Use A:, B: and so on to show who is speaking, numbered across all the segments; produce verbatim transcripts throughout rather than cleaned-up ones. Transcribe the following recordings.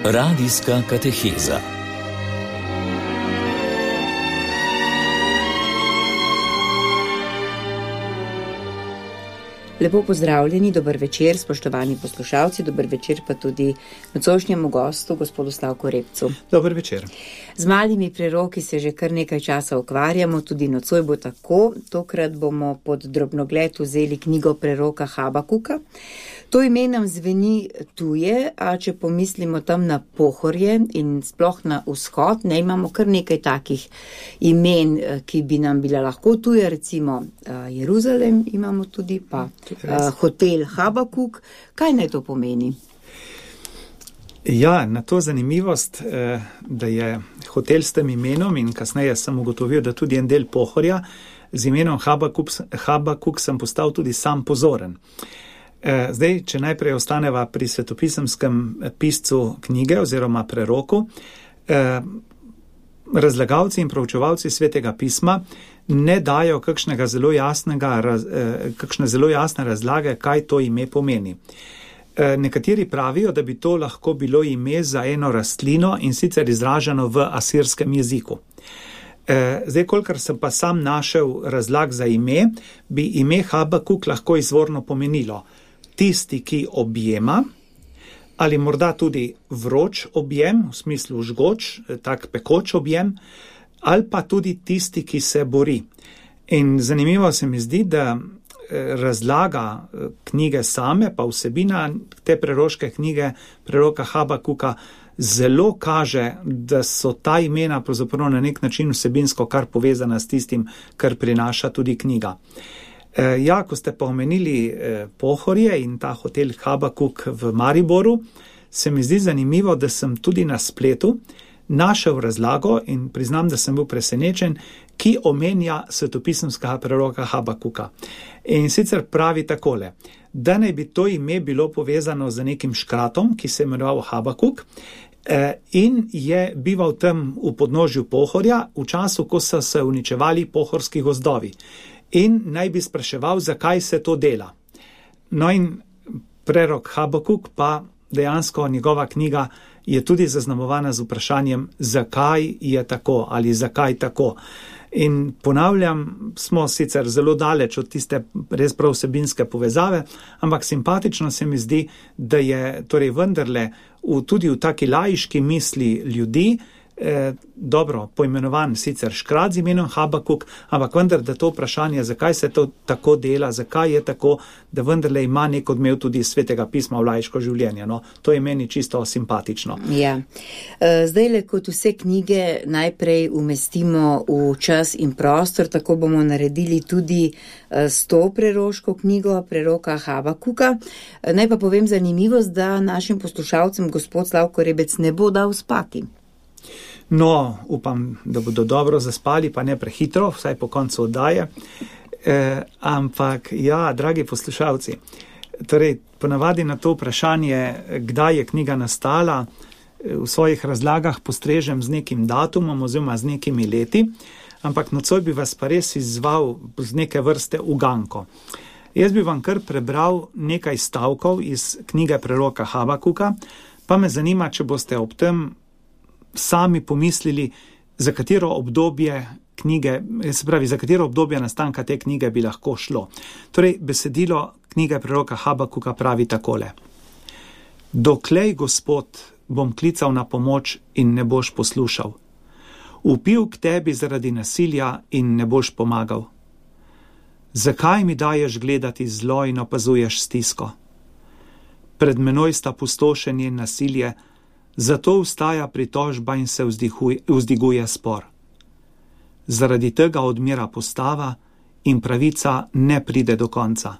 A: Radijska kateheza.
B: Lepo pozdravljeni, dober večer, spoštovani poslušalci, dober večer pa tudi nocojšnjemu gostu, gospodu Slavku Repcu.
C: Dober večer.
B: Z malimi preroki se že kar nekaj časa ukvarjamo, tudi nocoj bo tako. Tokrat bomo pod drobnogled vzeli knjigo preroka Habakuka. To ime nam zveni tuje, a če pomislimo tam na Pohorje in sploh na vzhod, ne imamo kar nekaj takih imen, ki bi nam bila lahko tuje, recimo Jeruzalem imamo tudi, pa hotel Habakuk. Kaj naj to pomeni?
C: Ja, na to zanimivost, da je hotel s tem imenom in kasneje sem ugotovil, da tudi en del Pohorja z imenom Habakuk, Habakuk sem postal tudi sam pozoren. Zdaj, če najprej ostaneva pri svetopisemskem piscu knjige oziroma preroku, razlagalci in proučevalci svetega pisma ne dajo kakšnega zelo jasnega, kakšne zelo jasne razlage, kaj to ime pomeni. Nekateri pravijo, da bi to lahko bilo ime za eno rastlino in sicer izraženo v asirskem jeziku. Zdaj, kolikor sem pa sam našel razlag za ime, bi ime Habakuk lahko izvorno pomenilo tisti, ki objema, ali morda tudi vroč objem, v smislu žgoč, tak pekoč objem, ali pa tudi tisti, ki se bori. In zanimivo se mi zdi, da razlaga knjige same, pa vsebina te preroške knjige preroka Habakuka zelo kaže, da so ta imena pravzaprav na nek način vsebinsko kar povezana s tistim, kar prinaša tudi knjiga. Ja, ko ste pa omenili Pohorje in ta hotel Habakuk v Mariboru, se mi zdi zanimivo, da sem tudi na spletu našel razlago in priznam, da sem bil presenečen, ki omenja svetopisemskega preroka Habakuka. In sicer pravi takole, da naj bi to ime bilo povezano z nekim škratom, ki se je imenoval Habakuk, in je bival tam v podnožju Pohorja v času, ko so se uničevali pohorski gozdovi. In naj bi spraševal, zakaj se to dela. No in prerok Habakuk pa dejansko njegova knjiga je tudi zaznamovana z vprašanjem, zakaj je tako ali zakaj tako. In ponavljam, smo sicer zelo daleč od tiste res prav vsebinske povezave, ampak simpatično se mi zdi, da je torej vendarle v, tudi v taki laiški misli ljudi, Eh, dobro, poimenovan sicer škrat z imenom Habakuk, ampak vendar, da to vprašanje, zakaj se to tako dela, zakaj je tako, da vendarle ima nek odmev tudi svetega pisma v laiško življenje. No, to je meni čisto simpatično.
B: Ja. Zdaj le kot vse knjige najprej umestimo v čas in prostor, tako bomo naredili tudi s to preroško knjigo preroka Habakuka. Naj pa povem zanimivost, da našim poslušalcem gospod Slavko Rebec ne bo dal spati.
C: No, upam, da bodo dobro zaspali, pa ne prehitro, vsaj po koncu oddaje. E, ampak, ja, dragi poslušalci, torej, ponavadi na to vprašanje, kdaj je knjiga nastala, v svojih razlagah postrežem z nekim datumom oziroma z nekimi leti, ampak nocoj bi vas pa res izzval z neke vrste uganko. Jaz bi vam kar prebral nekaj stavkov iz knjige preroka Habakuka, pa me zanima, če boste ob tem sami pomislili, za katero obdobje knjige, se pravi, za katero obdobje nastanka te knjige bi lahko šlo. Torej, besedilo knjige preroka Habakuka pravi takole. Doklej, Gospod, bom klical na pomoč in ne boš poslušal. Vpil k tebi zaradi nasilja in ne boš pomagal. Zakaj mi daješ gledati zlo in opazuješ stisko? Pred menoj sta pustošenje in nasilje, zato vstaja pritožba in se vzdiguje spor. Zaradi tega odmira postava in pravica ne pride do konca.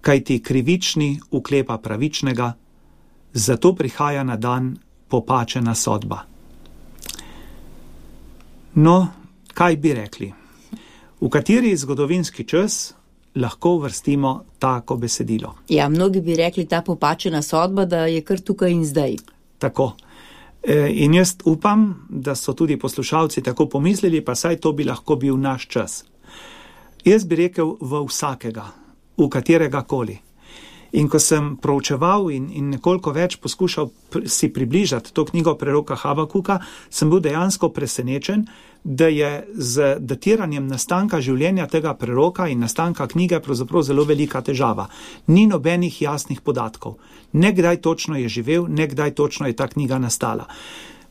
C: Kajti krivični uklepa pravičnega, zato prihaja na dan popačena sodba. No, kaj bi rekli? V kateri zgodovinski čas lahko uvrstimo tako besedilo?
B: Ja, mnogi bi rekli ta popačena sodba, da je kar tukaj in zdaj.
C: Tako. In jaz upam, da so tudi poslušalci tako pomislili, pa saj to bi lahko bil naš čas. Jaz bi rekel v vsakega, v katerega koli. In ko sem proučeval in, in nekoliko več poskušal pr- si približati to knjigo preroka Habakuka, sem bil dejansko presenečen, da je z datiranjem nastanka življenja tega preroka in nastanka knjige pravzaprav zelo velika težava. Ni nobenih jasnih podatkov. Ne kdaj točno je živel, ne kdaj točno je ta knjiga nastala.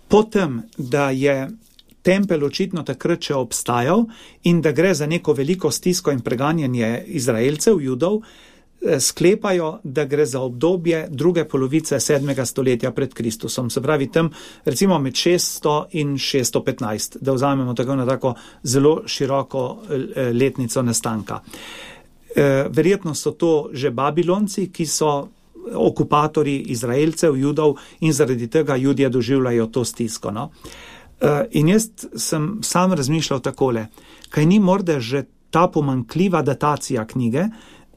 C: Potem, da je tempelj očitno takrat še obstajal in da gre za neko veliko stisko in preganjanje Izraelcev, Judov, sklepajo, da gre za obdobje druge polovice sedmega stoletja pred Kristusom. Se pravi tam recimo med šeststo in šeststo petnajst, da vzamemo tako na tako zelo široko letnico nastanka. Verjetno so to že Babilonci, ki so okupatorji Izraelcev, Judov in zaradi tega Judje doživljajo to stisko. No? In jaz sem sam razmišljal takole, kaj ni morda že ta pomanjkljiva datacija knjige,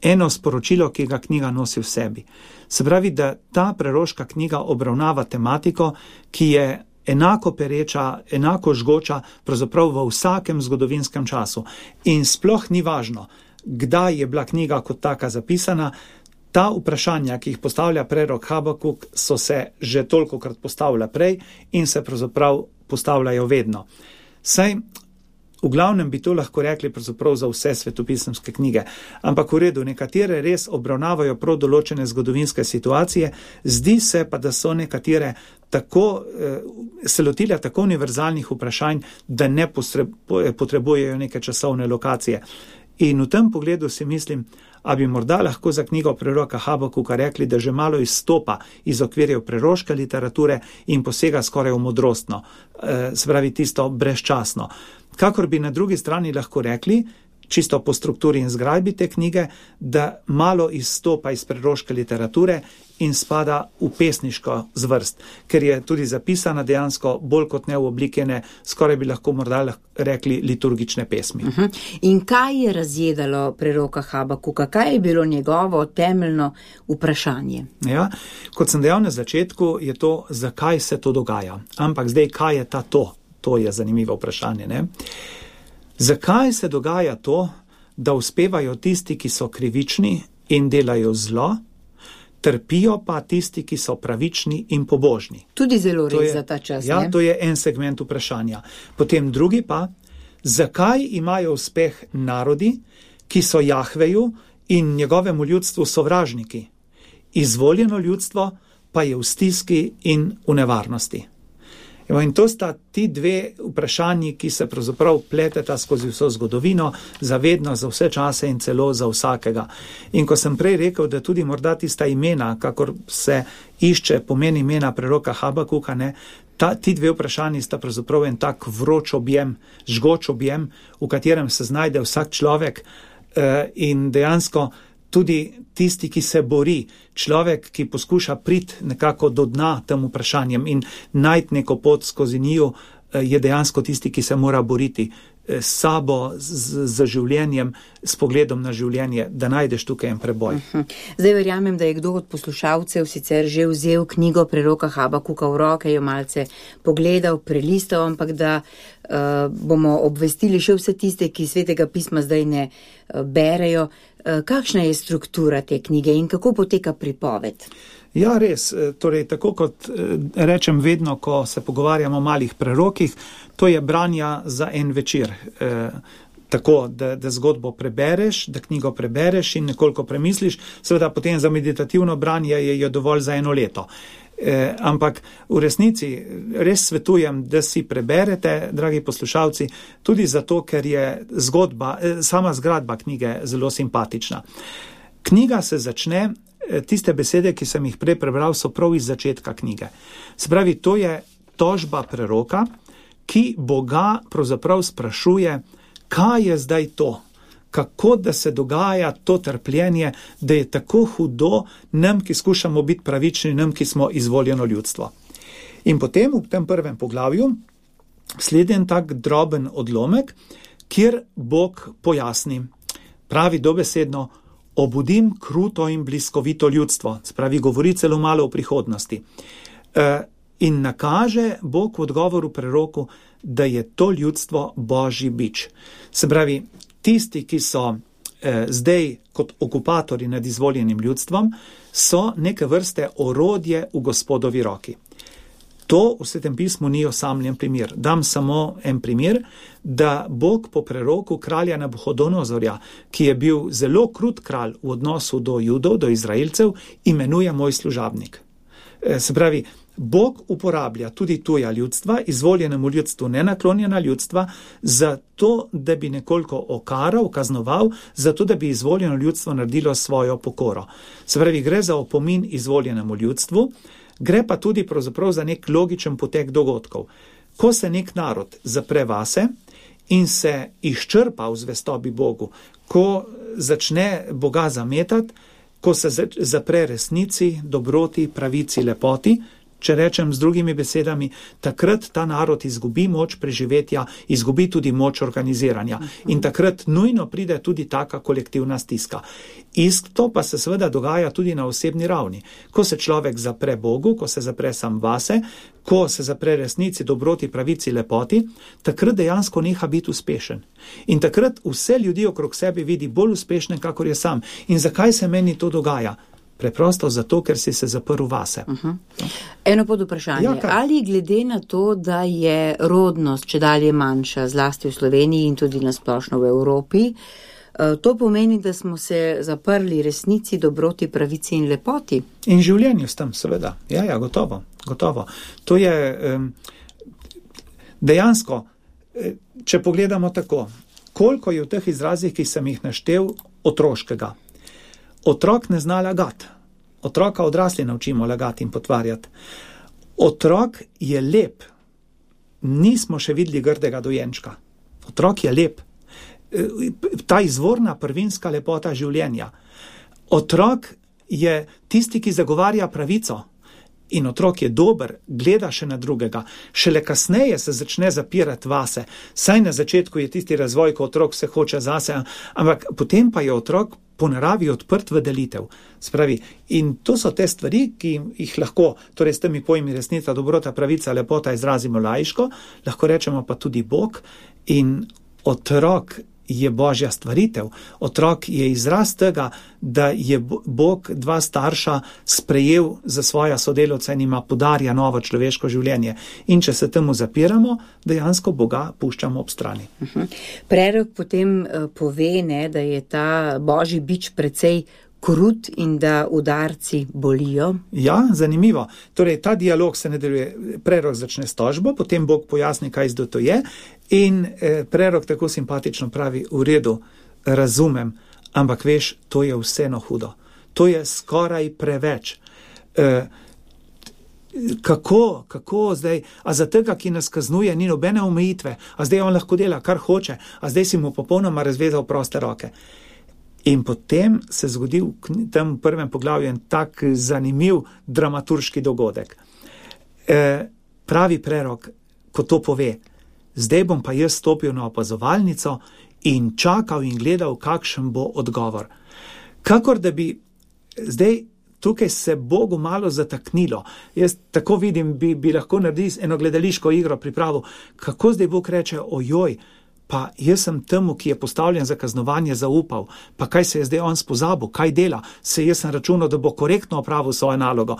C: eno sporočilo, ki ga knjiga nosi v sebi. Se pravi, da ta preroška knjiga obravnava tematiko, ki je enako pereča, enako žgoča, pravzaprav v vsakem zgodovinskem času. In sploh ni važno, kdaj je bila knjiga kot taka zapisana. Ta vprašanja, ki jih postavlja prerok Habakuk, so se že tolikokrat postavila prej in se pravzaprav postavljajo vedno. Saj v glavnem bi to lahko rekli pravzaprav za vse svetopisemske knjige, ampak v redu, nekatere res obravnavajo prav določene zgodovinske situacije, zdi se pa, da so nekatere tako, se lotile tako univerzalnih vprašanj, da ne potrebujejo neke časovne lokacije. In v tem pogledu si mislim, a bi morda lahko za knjigo preroka Habakuka rekli, da že malo izstopa iz okvirjev preroške literature in posega skoraj v modrostno, se pravi tisto brezčasno. Kakor bi na drugi strani lahko rekli, čisto po strukturi in zgradbi te knjige, da malo izstopa iz preroške literature in spada v pesniško zvrst, ker je tudi zapisana dejansko bolj kot ne v oblikene, skoraj bi lahko morda rekli liturgične pesmi.
B: Uh-huh. In kaj je razjedalo preroka Habakuka? Kaj je bilo njegovo temeljno vprašanje?
C: Ja, kot sem dejal na začetku, je to, zakaj se to dogaja. Ampak zdaj, kaj je ta to? To je zanimivo vprašanje, ne? Zakaj se dogaja to, da uspevajo tisti, ki so krivični in delajo zlo, trpijo pa tisti, ki so pravični in pobožni?
B: Tudi zelo res za ta čas,
C: ja,
B: ne?
C: To je en segment vprašanja. Potem drugi pa, zakaj imajo uspeh narodi, ki so Jahveju in njegovemu ljudstvu sovražniki? Izvoljeno ljudstvo pa je v stiski in v nevarnosti. In to sta ti dve vprašanji, ki se pravzaprav pleteta skozi vso zgodovino, zavedno za vse čase in celo za vsakega. In ko sem prej rekel, da tudi morda tista imena, kakor se išče pomen imena preroka Habakuka, ne, ta, ti dve vprašanji sta pravzaprav en tak vroč objem, žgoč objem, v katerem se znajde vsak človek eh, in dejansko tudi tisti, ki se bori, človek, ki poskuša priti nekako do dna tem vprašanjem in najti neko pot skozi njiju, je dejansko tisti, ki se mora boriti s sabo, z, z življenjem, s pogledom na življenje, da najdeš tukaj en preboj.
B: Zdaj verjamem, da je kdo od poslušalcev sicer že vzel knjigo preroka Habakuka v roke, jo malce pogledal, prelistal, ampak da uh, bomo obvestili še vse tiste, ki Svetega pisma zdaj ne uh, berejo. Uh, kakšna je struktura te knjige in kako poteka pripoved?
C: Ja, res. Torej, tako kot rečem vedno, ko se pogovarjamo o malih prerokih, to je branja za en večer. E, tako, da, da zgodbo prebereš, da knjigo prebereš in nekoliko premisliš, seveda potem za meditativno branje je, je dovolj za eno leto. E, ampak v resnici res svetujem, da si preberete, dragi poslušalci, tudi zato, ker je zgodba, sama zgradba knjige zelo simpatična. Knjiga se začne, tiste besede, ki sem jih prej prebral, so prav iz začetka knjige. Se pravi, to je tožba preroka, ki Boga pravzaprav sprašuje, kaj je zdaj to, kako da se dogaja to trpljenje, da je tako hudo nam, ki skušamo biti pravični, nam, ki smo izvoljeno ljudstvo. In potem v tem prvem poglavju sledi en tak droben odlomek, kjer Bog pojasni, pravi dobesedno, obudim kruto in bliskovito ljudstvo, spravi govori celo malo o prihodnosti. E, in nakaže Bog v odgovoru preroku, da je to ljudstvo Božji bič. Se pravi, tisti, ki so eh, zdaj kot okupatori nad izvoljenim ljudstvom, so neke vrste orodje v Gospodovi roki. To v Svetem pismu ni osamljen primer. Dam samo en primer, da Bog po preroku kralja Nabuhodonozorja, ki je bil zelo krut kralj v odnosu do Judov, do Izraelcev, imenuje moj služabnik. Se pravi, Bog uporablja tudi tuja ljudstva, izvoljenemu ljudstvu nenaklonjena ljudstva, zato, da bi nekoliko okaral, kaznoval, zato, da bi izvoljeno ljudstvo naredilo svojo pokoro. Se pravi, gre za opomin izvoljenemu ljudstvu, gre pa tudi pravzaprav za nek logičen potek dogodkov. Ko se nek narod zapre vase in se izčrpa v zvestobi Bogu, ko začne Boga zametati, ko se zapre resnici, dobroti, pravici, lepoti, če rečem z drugimi besedami, takrat ta narod izgubi moč preživetja, izgubi tudi moč organiziranja. In takrat nujno pride tudi taka kolektivna stiska. Isto pa se seveda dogaja tudi na osebni ravni. Ko se človek zapre Bogu, ko se zapre sam vase, ko se zapre resnici, dobroti, pravici, lepoti, takrat dejansko neha biti uspešen. In takrat vse ljudi okrog sebe vidi bolj uspešne, kakor je sam. In zakaj se meni to dogaja? Preprosto zato, ker si se zaprl vase.
B: Uh-huh. Eno pod vprašanje. Ja, ali glede na to, da je rodnost čedalje manjša, zlasti v Sloveniji in tudi nasplošno v Evropi, to pomeni, da smo se zaprli resnici, dobroti, pravici in lepoti?
C: In življenju s tem, seveda. Ja, ja, gotovo, gotovo. To je um, dejansko, če pogledamo tako, koliko je v teh izrazih, ki sem jih naštel, otroškega. Otrok ne zna lagati. Otroka odrasli naučimo lagati in potvarjati. Otrok je lep. Nismo še videli grdega dojenčka. Otrok je lep. Ta izvorna prvinska lepota življenja. Otrok je tisti, ki zagovarja pravico. In otrok je dober, gleda še na drugega. Šele kasneje se začne zapirati vase. Saj na začetku je tisti razvoj, ko otrok se hoče zase, ampak potem pa je otrok po naravi odprt v delitev. Spravi, in to so te stvari, ki jih lahko, torej s temi pojmi resnica, dobrota, pravica, lepota izrazimo laiško, lahko rečemo pa tudi Bog, in otrok je Božja stvaritev. Otrok je izraz tega, da je Bog dva starša sprejel za svoja sodelavca in ima podarja novo človeško življenje. In če se temu zapiramo, dejansko Boga puščamo ob strani.
B: Uh-huh. Prerok potem uh, pove, ne, da je ta Božji bič precej krut in da udarci bolijo.
C: Ja, zanimivo. Torej, ta dialog se nadaljuje. Prerok začne s tožbo, potem Bog pojasni, kaj zdaj to je, in eh, prerok tako simpatično pravi, v redu, razumem, ampak veš, to je vseeno hudo. To je skoraj preveč. Eh, kako, kako zdaj, a za tega, ki nas kaznuje, ni nobene omejitve, a zdaj on lahko dela, kar hoče, a zdaj si mu popolnoma razvezal proste roke. In potem se zgodi v tem prvem poglavju en tak zanimiv dramaturški dogodek. E, pravi prerok, ko to pove, zdaj bom pa jaz stopil na opazovalnico in čakal in gledal, kakšen bo odgovor. Kakor da bi zdaj tukaj se Bogu malo zataknilo. Jaz tako vidim, bi, bi lahko naredil eno gledališko igro pripravo, kako zdaj Bog reče, ojoj, pa jaz sem temu, ki je postavljen za kaznovanje, zaupal, pa kaj se je zdaj on spozabil, kaj dela, se jaz sem računal, da bo korektno opravil svojo nalogo.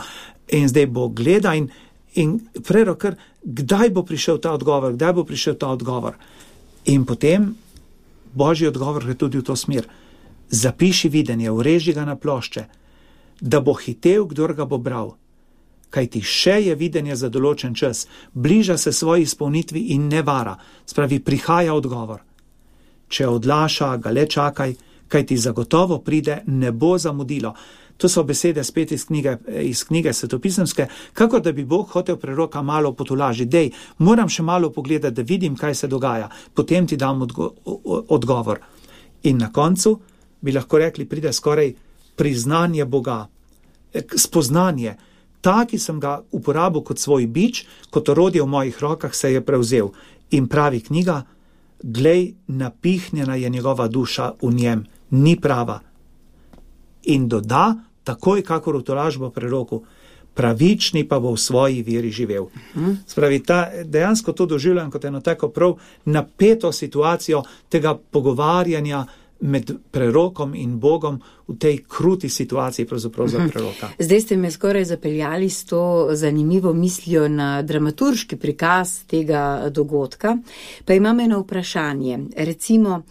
C: In zdaj bo gleda in, in prerok, kdaj bo prišel ta odgovor, kdaj bo prišel ta odgovor. In potem Božji odgovor gre tudi v to smer. Zapiši videnje, ureži ga na plošče, da bo hitel, kdor ga bo bral. Kajti še je videnje za določen čas, bliža se svoji izpolnitvi in ne vara, spravi prihaja odgovor. Če odlaša, ga le čakaj, kajti zagotovo pride, ne bo zamudilo. To so besede spet iz knjige, iz knjige svetopisemske, kakor da bi Bog hotel preroka malo potolažiti. Dej, moram še malo pogledati, da vidim, kaj se dogaja, potem ti dam odgo odgovor. In na koncu bi lahko rekli, pride skoraj priznanje Boga, spoznanje. Ta, ki sem ga uporabil kot svoj bič, kot orodje v mojih rokah, se je prevzel. In pravi knjiga, glej, napihnjena je njegova duša v njem, ni prava. In doda, takoj kakor v tolažbo preroku, pravični pa bo v svoji veri živel. Uh-huh. Spravi, ta, dejansko to doživljam kot eno tako prav napeto situacijo tega pogovarjanja med prerokom in Bogom v tej kruti situaciji pravzaprav za preroka.
B: Zdaj ste me skoraj zapeljali s to zanimivo mislijo na dramaturški prikaz tega dogodka. Pa imam eno vprašanje. Recimo,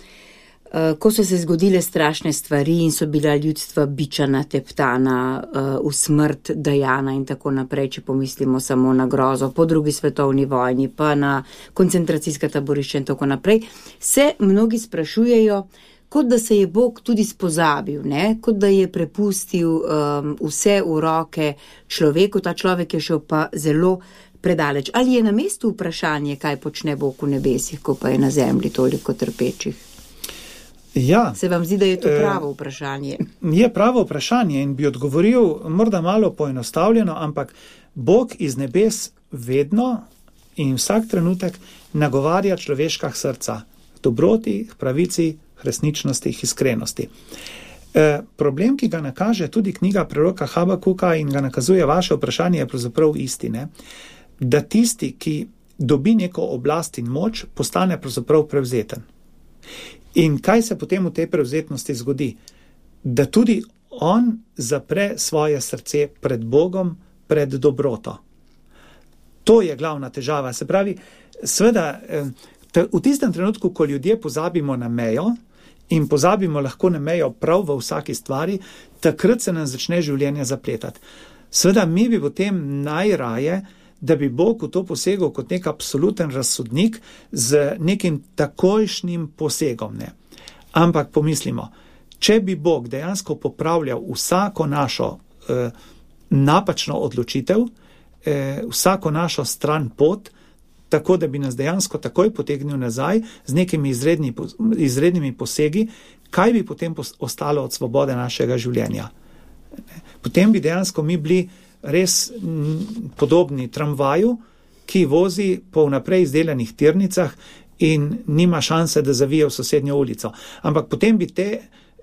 B: ko so se zgodile strašne stvari in so bila ljudstva bičana, teptana, v smrt dajana in tako naprej, če pomislimo samo na grozo po drugi svetovni vojni, pa na koncentracijska taborišča in tako naprej, se mnogi sprašujejo, kot da se je Bog tudi spozabil, ne? Kot da je prepustil um, vse v roke človeku, ta človek je šel pa zelo predaleč. Ali je na mestu vprašanje, kaj počne Bog v nebesih, ko pa je na zemlji toliko trpečih?
C: Ja.
B: Se vam zdi, da je to pravo vprašanje?
C: Je pravo vprašanje in bi odgovoril morda malo poenostavljeno, ampak Bog iz nebes vedno in vsak trenutek nagovarja človeška srca k dobroti, k pravici, k resničnosti, k iskrenosti. E, problem, ki ga nakaže tudi knjiga preroka Habakuka in ga nakazuje vaše vprašanje, je pravzaprav isti, ne? Da tisti, ki dobi neko oblast in moč, postane pravzaprav prevzeten. In kaj se potem v tej prevzetnosti zgodi? Da tudi on zapre svoje srce pred Bogom, pred dobroto. To je glavna težava. Se pravi, seveda, v tistem trenutku, ko ljudje pozabimo na mejo in pozabimo lahko na mejo prav v vsaki stvari, takrat se nam začne življenje zapletati. Seveda, mi bi potem najraje, da bi Bog v to posegel kot nek absoluten razsodnik z nekim takojšnjim posegom. Ne. Ampak pomislimo, če bi Bog dejansko popravljal vsako našo eh, napačno odločitev, eh, vsako našo stran pot, tako da bi nas dejansko takoj potegnil nazaj z nekimi izredni, izrednimi posegi, kaj bi potem ostalo od svobode našega življenja? Potem bi dejansko mi bili res podobni tramvaju, ki vozi po vnaprej izdelanih tirnicah in nima šanse, da zavije v sosednjo ulico. Ampak potem bi te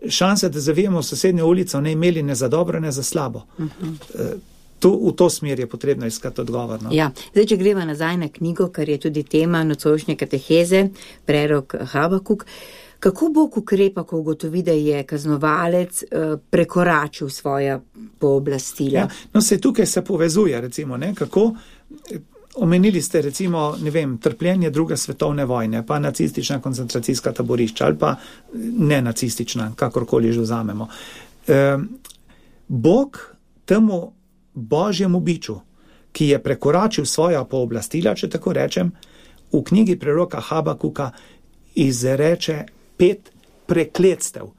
C: šanse, da zavijemo v sosednjo ulico, ne imeli ne za dobro, ne za slabo. Uh-huh. Tu, v to smer je potrebno iskati odgovor. No?
B: Ja, zdaj, če greva nazaj na knjigo, kar je tudi tema nocojšnje kateheze, prerok Habakuk, kako Bog ukrepa, ko ugotovi, da je kaznovalec eh, prekoračil svoja pooblastila?
C: Ja, no, se tukaj se povezuje, recimo, ne, kako omenili ste, recimo, ne vem, trpljenje druge svetovne vojne, pa nacistična koncentracijska taborišča, ali pa ne nacistična, kakorkoli že vzamemo. E, Bog temu Božjemu biču, ki je prekoračil svoja pooblastila, če tako rečem, v knjigi preroka Habakuka izreče pet prekletstev.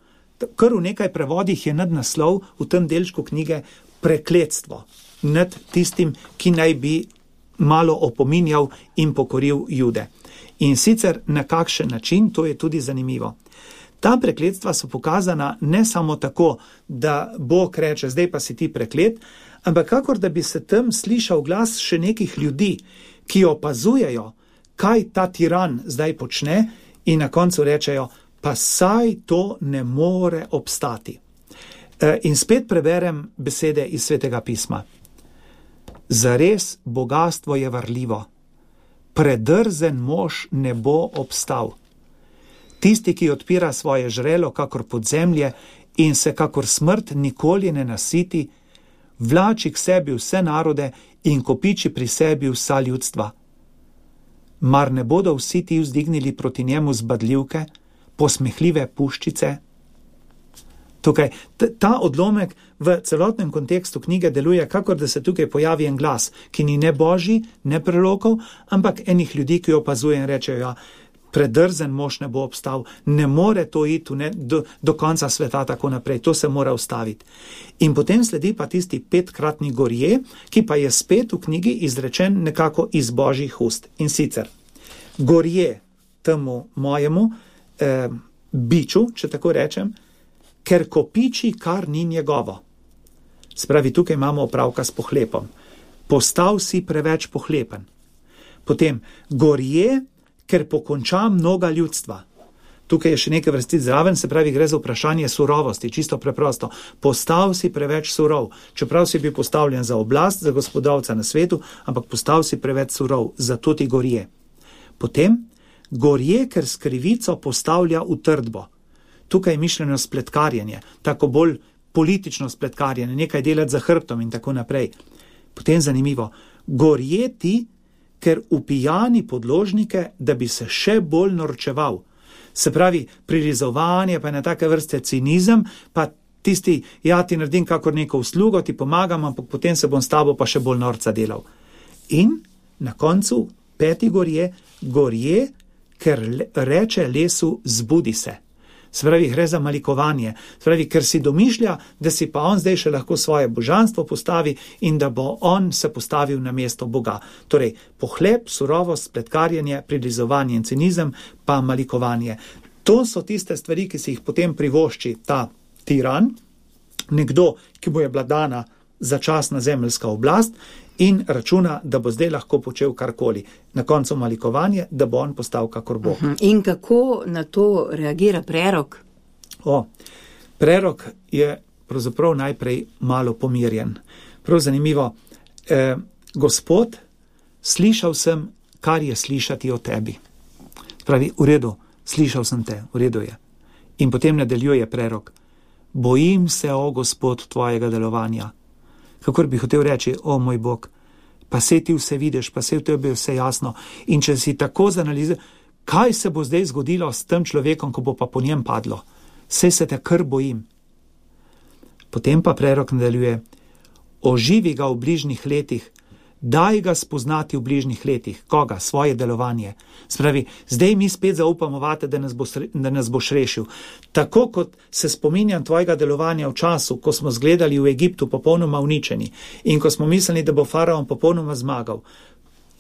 C: Kar v nekaj prevodih je nadnaslov v tem delčku knjige prekletstvo nad tistim, ki naj bi malo opominjal in pokoril Jude. In sicer na kakšen način, to je tudi zanimivo. Ta prekletstva so pokazana ne samo tako, da Bog reče, zdaj pa si ti preklet, ampak kakor da bi se tam slišal glas še nekih ljudi, ki opazujejo, kaj ta tiran zdaj počne in na koncu rečejo, pa saj to ne more obstati. In spet preberem besede iz Svetega pisma. Zares bogastvo je varljivo, predrzen mož ne bo obstal. Tisti, ki odpira svoje žrelo kakor podzemlje in se kakor smrt nikoli ne nasiti, vlači k sebi vse narode in kopiči pri sebi vsa ljudstva. Mar ne bodo vsi ti vzdignili proti njemu zbadljivke, posmehljive puščice? Tukaj, ta odlomek v celotnem kontekstu knjige deluje, kakor da se tukaj pojavi en glas, ki ni ne božji, ne prerokov, ampak enih ljudi, ki opazuje in rečejo, ja, predrzen mož ne bo obstal, ne more to iti ne, do, do konca sveta tako naprej, to se mora ustaviti. In potem sledi pa tisti petkratni gorje, ki pa je spet v knjigi izrečen nekako iz božjih ust. In sicer, gorje temu mojemu eh, biču, če tako rečem, ker kopiči, kar ni njegovo. Spravi, tukaj imamo opravka s pohlepom. Postal si preveč pohlepen. Potem, gorje, ker pokonča mnoga ljudstva. Tukaj je še nekaj vrstic zraven, se pravi, gre za vprašanje surovosti, čisto preprosto. Postal si preveč surov, čeprav si bil postavljen za oblast, za gospodovca na svetu, ampak postal si preveč surov, zato ti gorje. Potem, gorje, ker s krivico postavlja v trdbo. tukaj je mišljeno spletkarjenje, tako bolj politično spletkarjenje, nekaj delati za hrbtom in tako naprej. Potem zanimivo, gorjeti, ker upijani podložnike, da bi se še bolj norčeval. Se pravi, prilizovanje, pa je na take vrste cinizem, pa tisti, ja, ti naredim kakor neko uslugo, ti pomagam, ampak potem se bom s tabo pa še bolj norca delal. In na koncu peti gorje, gorje, ker reče lesu, zbudi se. Se pravi, gre za malikovanje. Se pravi, ker si domišlja, da si pa on zdaj še lahko svoje božanstvo postavi in da bo on se postavil na mesto Boga. Torej, pohlep, surovost, spletkarjenje, prilizovanje in cinizem, pa malikovanje. To so tiste stvari, ki si jih potem privošči ta tiran, nekdo, ki mu je bila dana začasna zemeljska oblast in računa, da bo zdaj lahko počel karkoli. Na koncu malikovanje, da bo on postal kakor Bog.
B: Uh-huh. In kako na to reagira prerok?
C: O, prerok je pravzaprav najprej malo pomirjen. Prav zanimivo, eh, Gospod, slišal sem, kar je slišati o tebi. Pravi, v redu, slišal sem te, v redu je. In potem nadaljuje prerok, bojim se, o Gospod, tvojega delovanja. Kakor bi hotel reči, o moj Bog, pa se ti vse vidiš, pa se v tebi vse jasno. In če si tako zanaliziral, kaj se bo zdaj zgodilo s tem človekom, ko bo pa po njem padlo? Saj se te kar bojim. Potem pa prerok nadaljuje, oživi ga v bližnjih letih, daj ga spoznati v bližnjih letih. Koga? Svoje delovanje. Spravi, zdaj mi spet zaupamo vate, da nas, bo, da nas boš rešil. Tako kot se spominjam tvojega delovanja v času, ko smo zgledali v Egiptu popolnoma uničeni in ko smo mislili, da bo faraon popolnoma zmagal.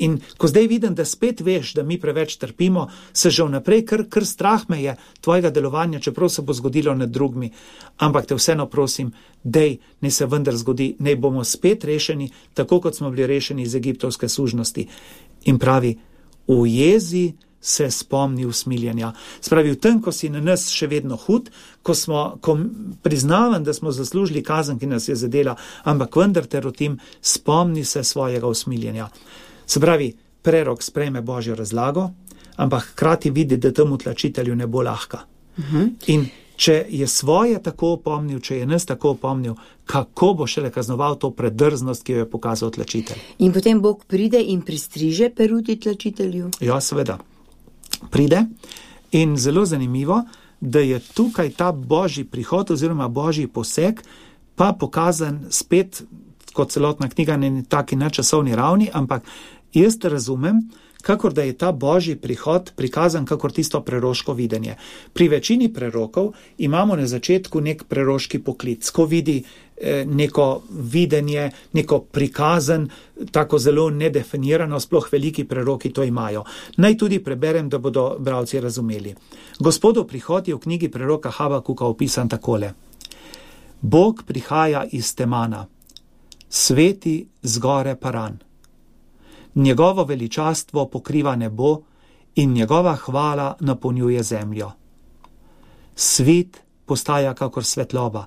C: In ko zdaj vidim, da spet veš, da mi preveč trpimo, se že vnaprej kar, kar strah me je tvojega delovanja, čeprav se bo zgodilo nad drugimi. Ampak te vseeno prosim, dej, ne se vendar zgodi, ne bomo spet rešeni, tako kot smo bili rešeni iz egiptovske sužnosti. In pravi, v jezi se spomni usmiljenja. Spravi, v tem, ko si na nas še vedno hud, ko, smo, ko priznavam, da smo zaslužili kazen, ki nas je zadela, ampak vendar te rotim, spomni se svojega usmiljenja. Se pravi, prerok sprejme Božjo razlago, ampak hkrati vidi, da temu tlačitelju ne bo lahka. Uh-huh. In če je svoje tako opomnil, če je nas tako opomnil, kako bo šele kaznoval to predrznost, ki jo je pokazal tlačitelj.
B: In potem Bog pride in pristriže peruti tlačitelju?
C: Ja, seveda. Pride in zelo zanimivo, da je tukaj ta Božji prihod oziroma Božji poseg pa pokazan spet kot celotna knjiga na taki nadčasovni ravni, ampak jaz razumem, kakor da je ta Božji prihod prikazan kakor tisto preroško videnje. Pri večini prerokov imamo na začetku nek preroški poklic, ko vidi eh, neko videnje, neko prikazan, tako zelo nedefinirano, sploh veliki preroki to imajo. Naj tudi preberem, da bodo bralci razumeli. Gospodov prihod je v knjigi preroka Habakuka opisan takole. Bog prihaja iz Temana, sveti zgore Paran. Njegovo veličastvo pokriva nebo in njegova hvala napolnjuje zemljo. Svit postaja kakor svetloba.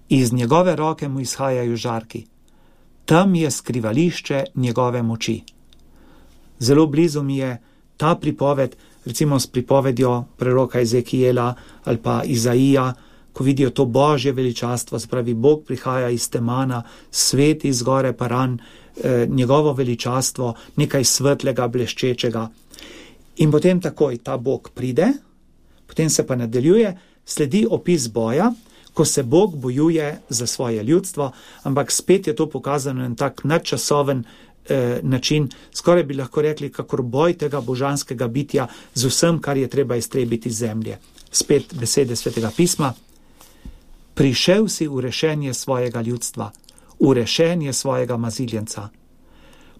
C: Iz njegove roke mu izhajajo žarki. Tam je skrivališče njegove moči. Zelo blizu mi je ta pripoved, recimo s pripovedjo preroka Ezekijela ali pa Izaija, ko vidijo to Božje veličastvo, se pravi, Bog prihaja iz Temana, svet iz gore Paran, eh, njegovo veličastvo, nekaj svetlega, bleščečega. In potem takoj ta Bog pride, potem se pa nadaljuje, sledi opis boja, ko se Bog bojuje za svoje ljudstvo, ampak spet je to pokazano na tak nadčasoven eh, način, skoraj bi lahko rekli, kakor boj tega božanskega bitja z vsem, kar je treba iztrebiti iz zemlje. Spet besede Svetega pisma. Prišel si v rešenje svojega ljudstva, v rešenje svojega maziljenca.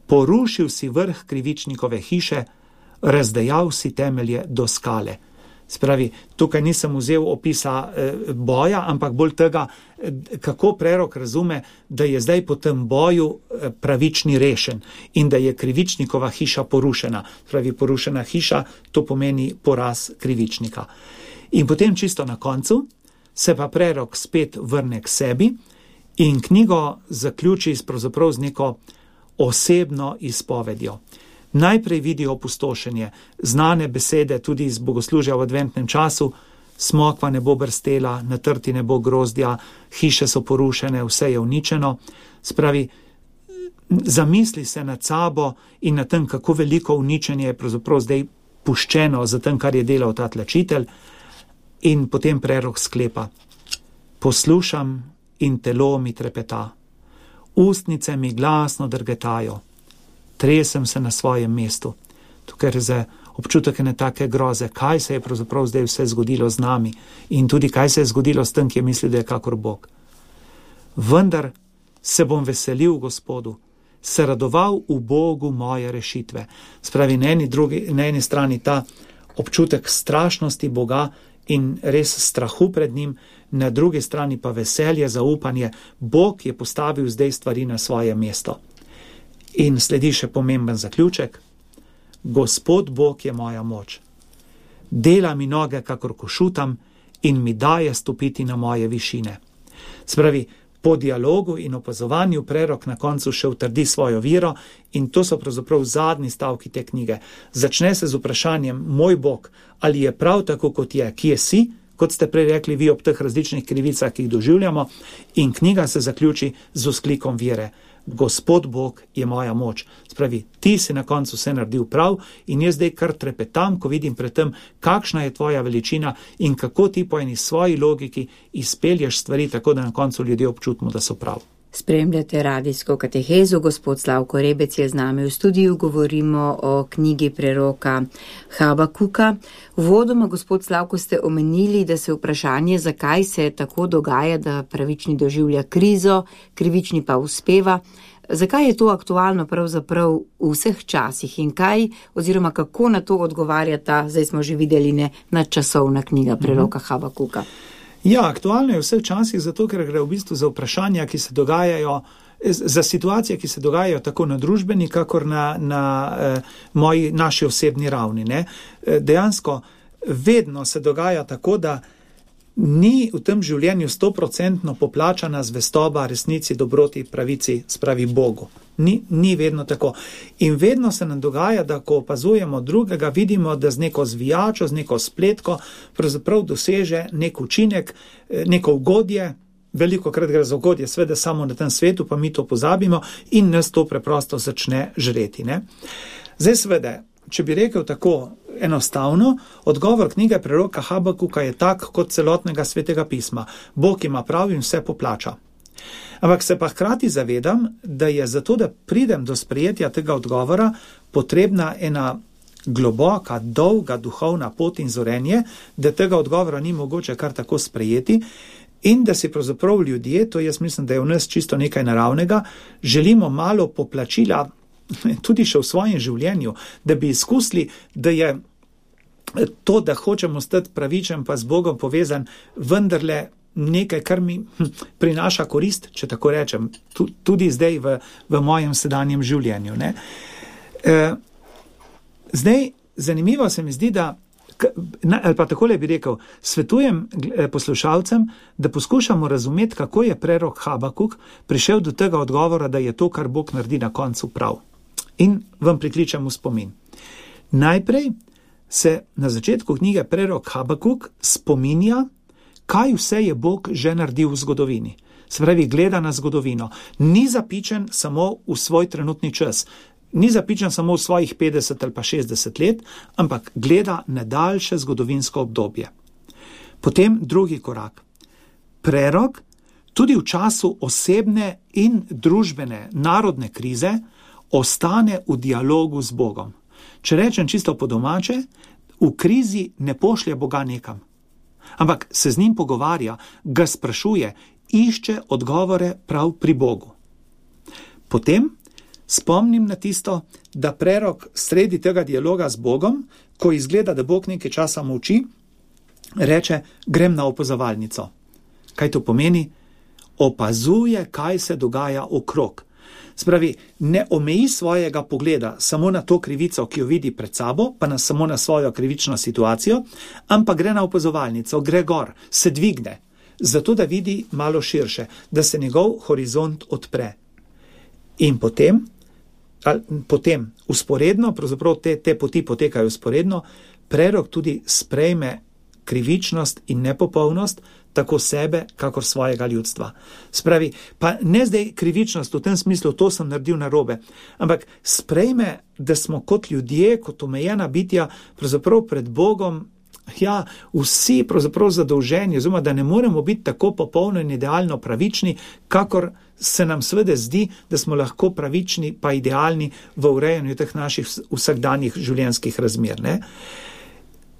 C: Porušil si vrh krivičnikove hiše, razdejal si temelje do skale. Spravi, tukaj nisem vzel opisa eh, boja, ampak bolj tega, eh, kako prerok razume, da je zdaj po tem boju eh, pravični rešen in da je krivičnikova hiša porušena. Spravi, porušena hiša, to pomeni poraz krivičnika. In potem čisto na koncu se pa prerok spet vrne k sebi in knjigo zaključi pravzaprav z neko osebno izpovedjo. Najprej vidi opustošenje, znane besede tudi iz bogoslužja v adventnem času, smokva ne bo brstela, na trti ne bo grozdja, hiše so porušene, vse je uničeno. Spravi, zamisli se nad sabo in na tem, kako veliko uničenje je pravzaprav zdaj puščeno za tem, kar je delal ta tlačitelj, in potem prerok sklepa: poslušam in telo mi trepeta, ustnice mi glasno drgetajo, tresem se na svojem mestu. Tukaj je občutek ene take groze, kaj se je pravzaprav zdaj vse zgodilo z nami in tudi kaj se je zgodilo s tem, ki je mislil, da je kakor Bog. Vendar se bom veselil v Gospodu, se radoval v Bogu moje rešitve. Spravi, na eni, drugi, na eni strani ta občutek strašnosti Boga in res strahu pred njim, na drugi strani pa veselje, zaupanje. Bog je postavil zdaj stvari na svoje mesto. In sledi še pomemben zaključek: Gospod Bog je moja moč. Dela mi noge, kakor košutam, in mi daje stopiti na moje višine. Spravi, po dialogu in opazovanju prerok na koncu še utrdi svojo vero in to so pravzaprav zadnji stavki te knjige. Začne se z vprašanjem: moj Bog, ali je prav tako, kot je, kje si, kot ste prej rekli vi ob teh različnih krivicah, ki jih doživljamo, in knjiga se zaključi z vzklikom vere: Gospod Bog je moja moč. Spravi, ti si na koncu vse naredil prav in jaz zdaj kar trepetam, ko vidim pred tem, kakšna je tvoja veličina in kako ti po eni svoji logiki izpelješ stvari tako, da na koncu ljudje občutimo, da so prav.
B: Spremljate radijsko katehezo, gospod Slavko Rebec je z nami v studiu, govorimo o knjigi preroka Habakuka. Uvodoma, gospod Slavko, ste omenili, da se vprašanje, zakaj se tako dogaja, da pravični doživlja krizo, krivični pa uspeva. Zakaj je to aktualno pravzaprav v vseh časih in kaj oziroma kako na to odgovarja ta, zdaj smo že videli, ne, nadčasovna knjiga preroka Habakuka?
C: Ja, aktualno je v vseh časih, zato ker gre v bistvu za vprašanja, ki se dogajajo, za situacije, ki se dogajajo tako na družbeni, kakor na, na eh, moji, naši osebni ravni. Ne. Dejansko vedno se dogaja tako, da ni v tem življenju stoprocentno poplačana zvestoba resnici, dobroti, pravici, spravi Bogu. Ni, ni vedno tako. In vedno se nam dogaja, da ko opazujemo drugega, vidimo, da z neko zvijačo, z neko spletko pravzaprav doseže nek učinek, neko ugodje. Veliko krat gre za ugodje, sveda samo na tem svetu, pa mi to pozabimo in nas to preprosto začne žreti. Ne? Zdaj sveda, če bi rekel tako enostavno, odgovor knjige preroka Habakuka je tak kot celotnega svetega pisma. Bog ima prav in vse poplača. Ampak se pa hkrati zavedam, da je zato, da pridem do sprejetja tega odgovora, potrebna ena globoka, dolga duhovna pot in zorenje, da tega odgovora ni mogoče kar tako sprejeti in da si pravzaprav ljudje, to jaz mislim, da je v nas čisto nekaj naravnega, želimo malo poplačila tudi še v svojem življenju, da bi izkusili, da je to, da hočemo stati pravičen pa z Bogom povezan, vendarle nekaj, kar mi prinaša korist, če tako rečem, tudi zdaj v, v mojem sedanjem življenju. Ne? E, zdaj, zanimivo se mi zdi, da, ali pa takole bi rekel, svetujem poslušalcem, da poskušamo razumeti, kako je prerok Habakuk prišel do tega odgovora, da je to, kar Bog naredi na koncu, prav. In vam prikličem v spomin. Najprej se na začetku knjige prerok Habakuk spominja, kaj vse je Bog že naredil v zgodovini. Se pravi, gleda na zgodovino. Ni zapičen samo v svoj trenutni čas, ni zapičen samo v svojih petdeset ali pa šestdeset let, ampak gleda na daljše zgodovinsko obdobje. Potem drugi korak. Prerok tudi v času osebne in družbene narodne krize ostane v dialogu z Bogom. Če rečem čisto po domače, v krizi ne pošlje Boga nekam, ampak se z njim pogovarja, ga sprašuje, išče odgovore prav pri Bogu. Potem spomnim na tisto, da prerok sredi tega dialoga z Bogom, ko izgleda, da Bog nekaj časa molči, reče, grem na opazovalnico. Kaj to pomeni? Opazuje, kaj se dogaja okrog. Spravi, ne omeji svojega pogleda samo na to krivico, ki jo vidi pred sabo, pa na, samo na svojo krivično situacijo, ampak gre na opazovalnico, gre gor, se dvigne, zato da vidi malo širše, da se njegov horizont odpre. In potem, ali, potem usporedno, pravzaprav te, te poti potekajo usporedno, prerok tudi sprejme krivičnost in nepopolnost, tako sebe, kakor svojega ljudstva. Spravi, pa ne zdaj krivičnost v tem smislu, to sem naredil narobe, ampak sprejme, da smo kot ljudje, kot omejena bitja, pravzaprav pred Bogom, ja, vsi pravzaprav zadolženi, oziroma da ne moremo biti tako popolno in idealno pravični, kakor se nam seveda zdi, da smo lahko pravični pa idealni v urejanju teh naših vsakdanjih življenjskih razmer, ne?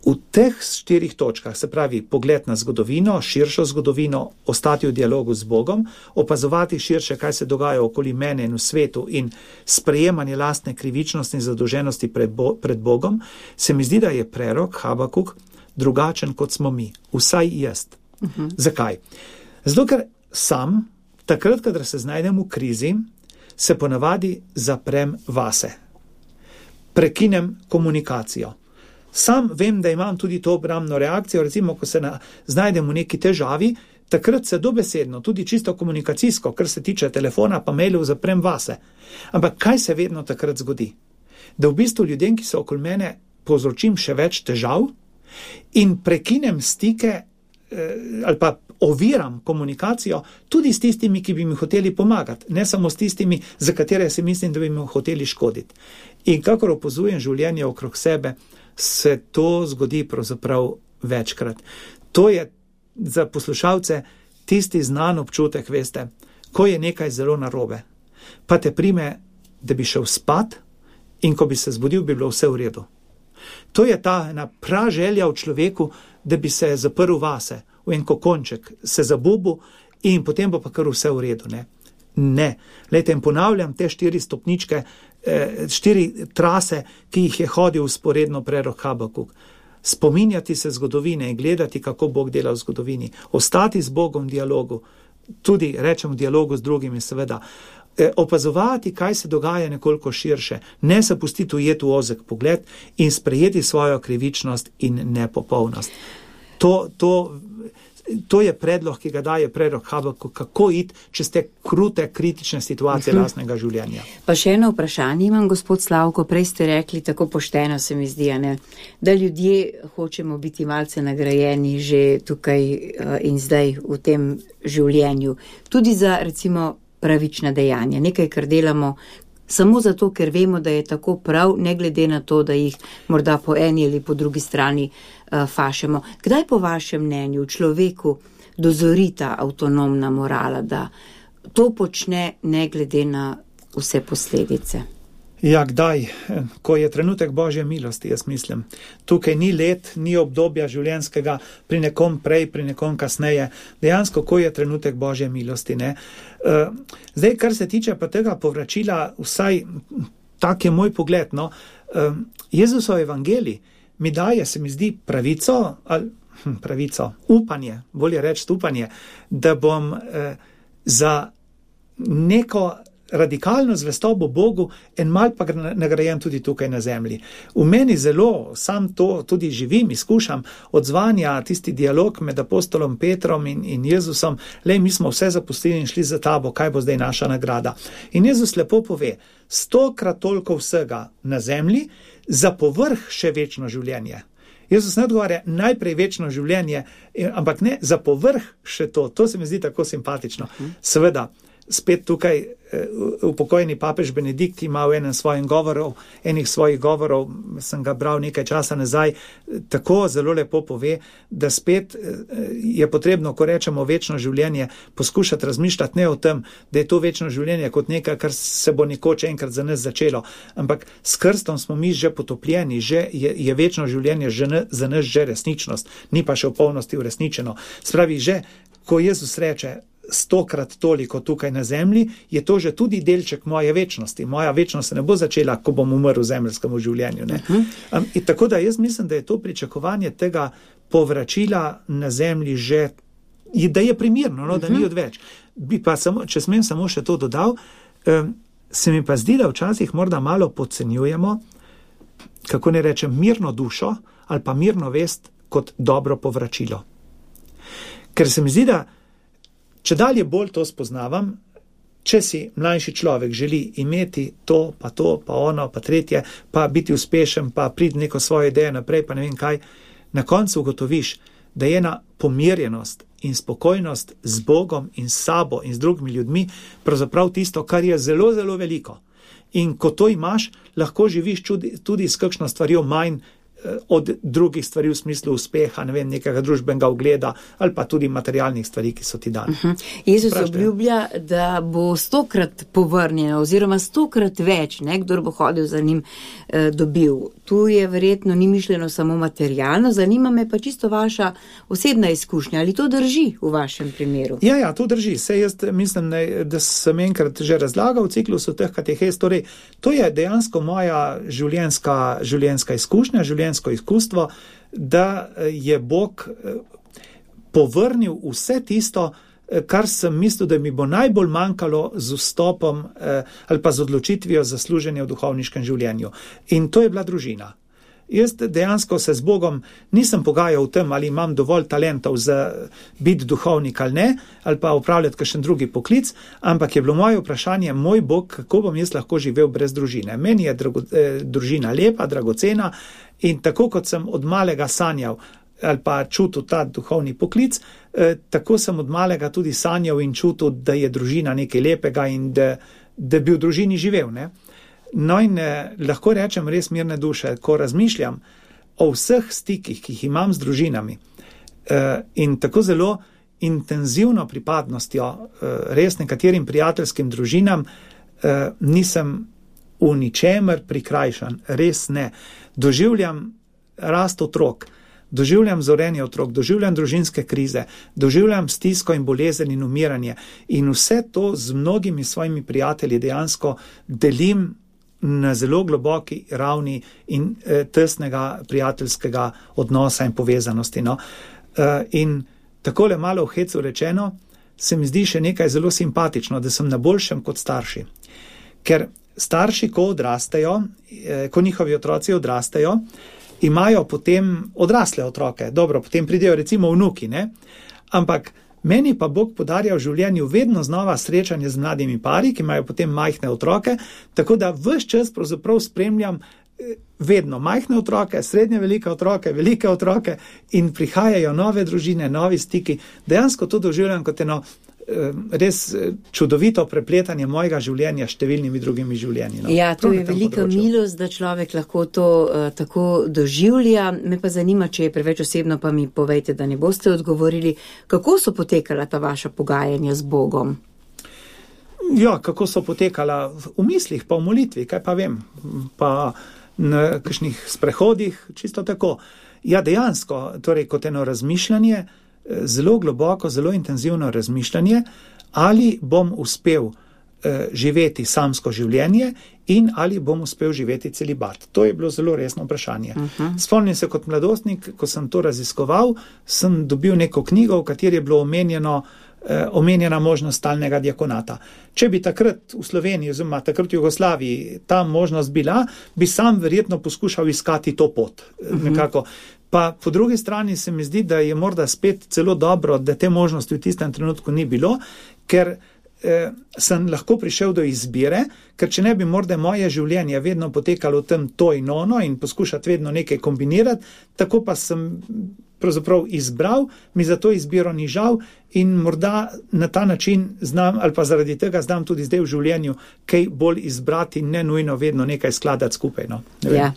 C: V teh štirih točkah, se pravi pogled na zgodovino, širšo zgodovino, ostati v dialogu z Bogom, opazovati širše, kaj se dogaja okoli mene in v svetu in sprejemanje lastne krivičnosti in zadolženosti pred, Bo- pred Bogom, se mi zdi, da je prerok Habakuk drugačen kot smo mi, vsaj jaz. Uh-huh. Zakaj? Zato, ker sam, takrat, kadar se znajdem v krizi, se ponavadi zaprem vase. Prekinem komunikacijo. Sam vem, da imam tudi to obrambno reakcijo, recimo, ko se na, znajdem v neki težavi, takrat se dobesedno, tudi čisto komunikacijsko, kar se tiče telefona pa mailov, zaprem vase. Ampak kaj se vedno takrat zgodi? Da v bistvu ljudem, ki so okoli mene, povzročim še več težav in prekinem stike eh, ali pa oviram komunikacijo tudi s tistimi, ki bi mi hoteli pomagati, ne samo s tistimi, za katere si mislim, da bi mi hoteli škoditi. In kakor opozujem življenje okrog sebe, se to zgodi pravzaprav večkrat. To je za poslušalce tisti znan občutek, veste, ko je nekaj zelo narobe, pa te prime, da bi šel spat in ko bi se zbudil, bi bilo vse v redu. To je ta ena praželja v človeku, da bi se zaprl vase, v en kokonček, se zabubil in potem bo pa kar vse v redu, ne? Ne. Lejte, in ponavljam te štiri stopničke, eh, štiri trase, ki jih je hodil usporedno prerok Habakuk. Spominjati se zgodovine in gledati, kako Bog dela v zgodovini. Ostati z Bogom v dialogu, tudi rečem v dialogu z drugimi seveda. Eh, opazovati, kaj se dogaja nekoliko širše. Ne se pustiti ujeti v ozek pogled in sprejeti svojo krivičnost in nepopolnost. To, to To je predlog, ki ga daje prerok Habakuk, kako iti čez te krute, kritične situacije uh-huh. lastnega življenja.
B: Pa še eno vprašanje imam, gospod Slavko, prej ste rekli, tako pošteno se mi zdi, ne, da ljudje hočemo biti malce nagrajeni že tukaj uh, in zdaj v tem življenju. Tudi za, recimo, pravična dejanja, nekaj, kar delamo samo zato, ker vemo, da je tako prav, ne glede na to, da jih morda po eni ali po drugi strani uh, fašemo. Kdaj po vašem mnenju človeku dozori ta avtonomna morala, da to počne ne glede na vse posledice?
C: Ja, kdaj? Ko je trenutek Božje milosti, jaz mislim. Tukaj ni let, ni obdobja življenjskega, pri nekom prej, pri nekom kasneje. Dejansko, ko je trenutek Božje milosti, ne? Zdaj, kar se tiče pa tega povračila, vsaj tak je moj pogled, no, Jezusov evangelij mi daje, se mi zdi, pravico, ali pravico, upanje, bolje reči upanje, da bom eh, za neko radikalno zvestobo Bogu en mal pa nagrajen tudi tukaj na zemlji. V meni zelo, sam to tudi živim, izkušam, odzvanja tisti dialog med apostolom Petrom in, in Jezusom, lej, mi smo vse zapustili in šli za tabo, kaj bo zdaj naša nagrada. In Jezus lepo pove, stokrat toliko vsega na zemlji, za povrh še večno življenje. Jezus ne odgovarja najprej večno življenje, ampak ne, za povrh še to. To se mi zdi tako simpatično. Seveda, spet tukaj upokojeni papež Benedikt ima v enem svojim govorov, enih svojih govorov, sem ga bral nekaj časa nazaj, tako zelo lepo pove, da spet je potrebno, ko rečemo večno življenje, poskušati razmišljati ne o tem, da je to večno življenje kot nekaj, kar se bo nekoč enkrat za nas začelo, ampak s krstom smo mi že potopljeni, že je, je večno življenje že ne, za nas že resničnost, ni pa še v polnosti uresničeno. Spravi, že ko Jezus reče, stokrat toliko tukaj na zemlji, je to že tudi delček moje večnosti. Moja večnost se ne bo začela, ko bom umrl v zemljskemu življenju. Ne? Uh-huh. Um, in tako da jaz mislim, da je to pričakovanje tega povračila na zemlji že, da je primirno, no, da uh-huh. ni odveč. Bi pa samo, če smem samo še to dodal, um, se mi pa zdi, da včasih morda malo podcenjujemo, kako ne rečem, mirno dušo ali pa mirno vest kot dobro povračilo. Ker se mi zdi, da če dalje bolj to spoznavam, če si mlajši človek želi imeti to, pa to, pa ono, pa tretje, pa biti uspešen, pa priti neko svojo idejo naprej, pa ne vem kaj, na koncu ugotoviš, da je ena pomirjenost in spokojnost z Bogom in s sabo in z drugimi ljudmi pravzaprav tisto, kar je zelo, zelo veliko. In ko to imaš, lahko živiš čudi, tudi s kakšno stvarjo manj od drugih stvari v smislu uspeha, ne vem, nekega družbenega ugleda ali pa tudi materialnih stvari, ki so ti dane.
B: Uh-huh. Jezus obljublja, da bo stokrat povrnjeno oziroma stokrat več, ne, kdor bo hodil za njim, eh, dobil. Tu je verjetno ni mišljeno samo materialno, zanima me pa čisto vaša osebna izkušnja. Ali to drži v vašem primeru?
C: Ja, ja, to drži. Sej jaz mislim, da sem enkrat že razlagal v ciklusu teh katehez, torej to je dejansko moja življenjska, življenjska izkušnja, življenjska izkustvo, da je Bog povrnil vse tisto, kar sem mislil, da mi bo najbolj manjkalo z vstopom ali pa z odločitvijo za služenje v duhovniškem življenju. In to je bila družina. Jaz dejansko se z Bogom nisem pogajal v tem, ali imam dovolj talentov za biti duhovnik ali ne, ali pa upravljati kakšen drugi poklic, ampak je bilo moje vprašanje, moj Bog, kako bom jaz lahko živel brez družine. Meni je drago, eh, družina lepa, dragocena in tako kot sem od malega sanjal ali pa čutil ta duhovni poklic, eh, tako sem od malega tudi sanjal in čutil, da je družina nekaj lepega in da, da bi v družini živel, ne. No in eh, lahko rečem res mirne duše, ko razmišljam o vseh stikih, ki jih imam z družinami eh, in tako zelo intenzivno pripadnostjo eh, res nekaterim prijateljskim družinam, eh, nisem v ničemer prikrajšan, res ne. Doživljam rast otrok, doživljam zorenje otrok, doživljam družinske krize, doživljam stisko in bolezen in umiranje in vse to z mnogimi svojimi prijatelji dejansko delim na zelo globoki ravni in eh, tesnega prijateljskega odnosa in povezanosti. No. Eh, in takole malo v hecu rečeno, se mi zdi še nekaj zelo simpatično, da sem na boljšem kot starši. Ker starši, ko odrastejo, eh, ko njihovi otroci odrastejo, imajo potem odrasle otroke. Dobro, potem pridejo recimo vnuki, ne? Ampak meni pa Bog podarja v življenju vedno znova srečanje z mladimi pari, ki imajo potem majhne otroke, tako da ves čas pravzaprav spremljam vedno majhne otroke, srednje velike otroke, velike otroke in prihajajo nove družine, novi stiki. Dejansko to doživljam kot eno res čudovito prepletanje mojega življenja s številnimi drugimi življenji. No.
B: Ja, to je velika milost, da človek lahko to uh, tako doživlja. Me pa zanima, če je preveč osebno, pa mi povejte, da ne boste odgovorili, kako so potekala ta vaša pogajanja z Bogom?
C: Ja, kako so potekala v mislih, pa v molitvi, kaj pa vem, pa na kakšnih sprehodih, čisto tako. Ja, dejansko, torej kot eno razmišljanje, zelo globoko, zelo intenzivno razmišljanje, ali bom uspel eh, živeti samsko življenje in ali bom uspel živeti celibat. To je bilo zelo resno vprašanje. Uh-huh. Spomnim se kot mladostnik, ko sem to raziskoval, sem dobil neko knjigo, v kateri je bilo omenjeno, eh, omenjena možnost stalnega diakonata. Če bi takrat v Sloveniji, oziroma takrat v Jugoslaviji, ta možnost bila, bi sam verjetno poskušal iskati to pot. Uh-huh. Nekako. Pa po drugi strani se mi zdi, da je morda spet celo dobro, da te možnosti v tistem trenutku ni bilo, ker eh, sem lahko prišel do izbire, ker če ne bi morda moje življenje vedno potekalo v tem to in ono in poskušati vedno nekaj kombinirati, tako pa sem pravzaprav izbral, mi za to izbiro ni žal in morda na ta način znam, ali pa zaradi tega znam tudi zdaj v življenju kaj bolj izbrati, ne nujno vedno nekaj skladati skupaj. No,
B: ja.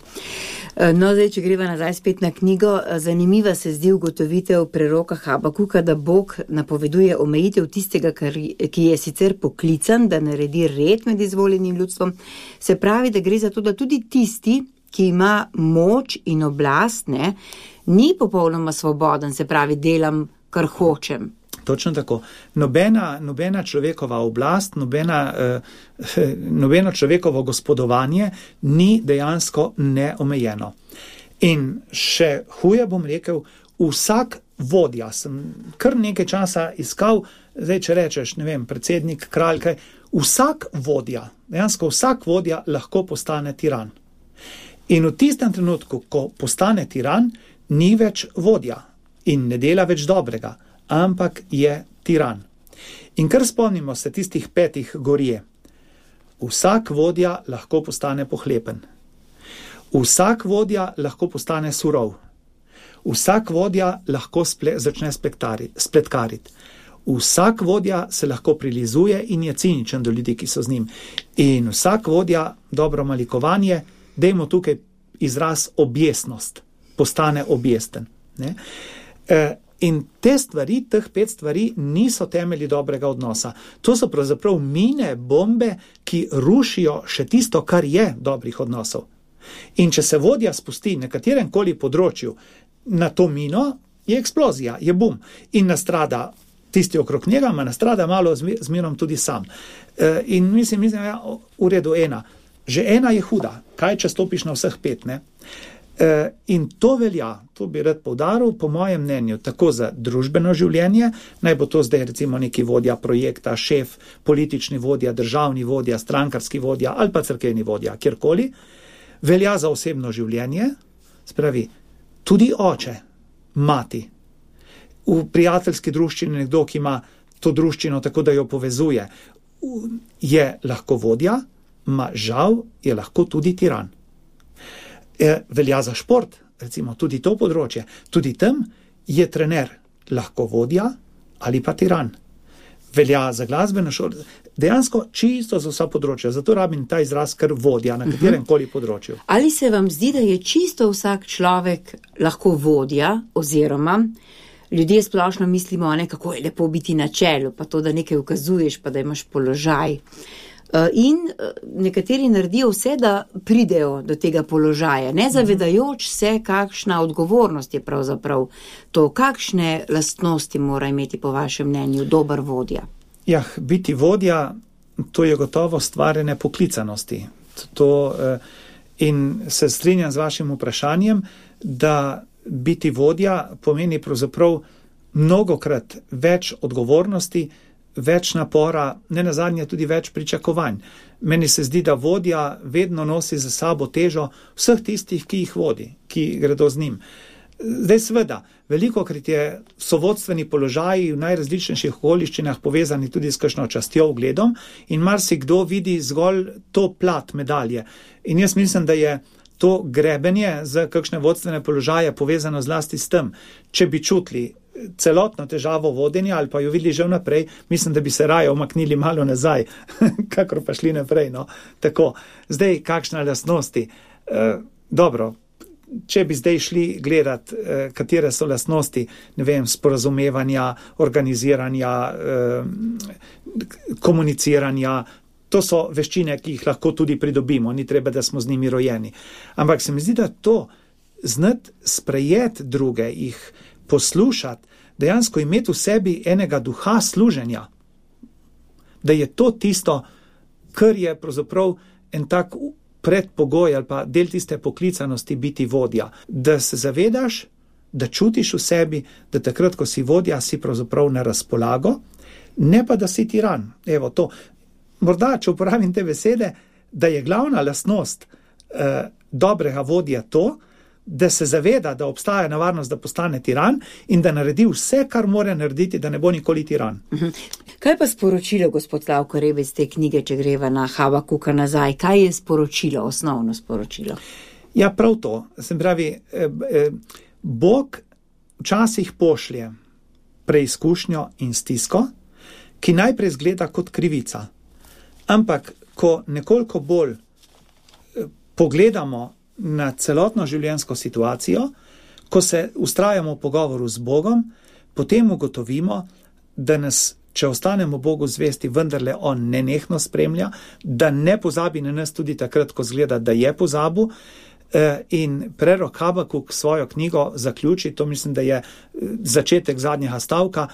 B: No, zdaj, če greva nazaj spet na knjigo, zanimiva se zdi ugotovitev preroka Habakuka, da Bog napoveduje omejitev tistega, ki je sicer poklican, da naredi red med izvoljenim ljudstvom. Se pravi, da gre za to, da tudi tisti, ki ima moč in oblast, ne, ni popolnoma svoboden, se pravi, delam, kar hočem.
C: Točno tako. Nobena, nobena človekova oblast, nobena, eh, nobeno človekovo gospodovanje ni dejansko neomejeno. In še huje bom rekel, vsak vodja, sem kar nekaj časa iskal, zdaj če rečeš, ne vem, predsednik, kralj, kaj, vsak vodja, dejansko vsak vodja lahko postane tiran. In v tistem trenutku, ko postane tiran, ni več vodja in ne dela več dobrega, ampak je tiran. In kar spomnimo se tistih petih gorje. Vsak vodja lahko postane pohlepen. Vsak vodja lahko postane surov. Vsak vodja lahko sple, začne spletkariti. Vsak vodja se lahko prilizuje in je ciničen do ljudi, ki so z njim. In vsak vodja, dobro malikovanje, dajmo tukaj izraz objesnost, postane objesten. Ne? E, in te stvari, teh pet stvari, niso temelji dobrega odnosa. To so pravzaprav mine, bombe, ki rušijo še tisto, kar je dobrih odnosov. In če se vodja spusti na katerem koli področju na to mino, je eksplozija, je bum. In nastrada tisti okrog njega, ma nastrada malo zmerom tudi sam. E, in mislim, mislim, ja, v redu ena. Že ena je huda, kaj če stopiš na vseh pet, ne? E, in to velja, to bi rad poudaril, po mojem mnenju, tako za družbeno življenje, naj bo to zdaj recimo neki vodja projekta, šef, politični vodja, državni vodja, strankarski vodja ali pa cerkevni vodja, kjerkoli, velja za osebno življenje, spravi, tudi oče, mati, v prijateljski druščini nekdo, ki ima to druščino tako, da jo povezuje, je lahko vodja, ma žal je lahko tudi tiran. E, velja za šport, recimo tudi to področje, tudi tam je trener lahko vodja ali pa tiran. Velja za glasbeno šolo, dejansko čisto za vsa področja, zato rabim ta izraz kar vodja na katerem koli področju.
B: Ali se vam zdi, da je čisto vsak človek lahko vodja, oziroma ljudje splošno mislimo, ne, kako je lepo biti na čelu, pa to, da nekaj ukazuješ, pa da imaš položaj. In nekateri naredijo vse, da pridejo do tega položaja, ne zavedajoč se, kakšna odgovornost je pravzaprav to, kakšne lastnosti mora imeti po vašem mnenju dober vodja.
C: Ja, biti vodja, to je gotovo stvarjene poklicanosti. To, in se strinjam z vašim vprašanjem, da biti vodja pomeni pravzaprav mnogokrat več odgovornosti, več napora, ne nazadnje tudi več pričakovanj. Meni se zdi, da vodja vedno nosi za sabo težo vseh tistih, ki jih vodi, ki gredo z njim. Zdaj seveda, velikokrat je sovodstveni položaji v najrazličnejših okoliščinah povezani tudi s kakšno častjo, ugledom in marsikdo vidi zgolj to plat medalje. In jaz mislim, da je to grebenje za kakšne vodstvene položaje povezano zlasti s tem, če bi čutili celotno težavo vodenja ali pa jo videli že vnaprej, mislim, da bi se raje omaknili malo nazaj, kakor pa šli naprej. No. Tako, zdaj kakšna lastnosti? E, dobro, če bi zdaj šli gledat, e, katere so lastnosti, ne vem, sporazumevanja, organiziranja, e, komuniciranja, to so veščine, ki jih lahko tudi pridobimo, ni treba, da smo z njimi rojeni. Ampak se mi zdi, da to znati sprejeti druge, jih poslušati, dejansko imeti v sebi enega duha služenja, da je to tisto, kar je pravzaprav en tak predpogoj ali pa del tiste poklicanosti biti vodja. Da se zavedaš, da čutiš v sebi, da takrat, ko si vodja, si pravzaprav na razpolago, ne pa, da si tiran. Evo to. Morda, če uporabim te besede, da je glavna lastnost eh, dobrega vodja to, da se zaveda, da obstaja nevarnost, da postane tiran in da naredi vse, kar mora narediti, da ne bo nikoli tiran.
B: Kaj pa sporočilo, gospod Slavko Rebec, te knjige, če greva na Habakuka nazaj? Kaj je sporočilo, osnovno sporočilo?
C: Ja, prav to. Se pravi, eh, eh, Bog včasih pošlje preizkušnjo in stisko, ki najprej zgleda kot krivica. Ampak, ko nekoliko bolj pogledamo na celotno življenjsko situacijo, ko se ustrajamo v pogovoru z Bogom, potem ugotovimo, da nas, če ostanemo Bogu zvesti, vendarle on nenehno spremlja, da ne pozabi na nas tudi takrat, ko zgleda, da je pozabil. In prerok Habakuk svojo knjigo zaključi, to mislim, da je začetek zadnjega stavka,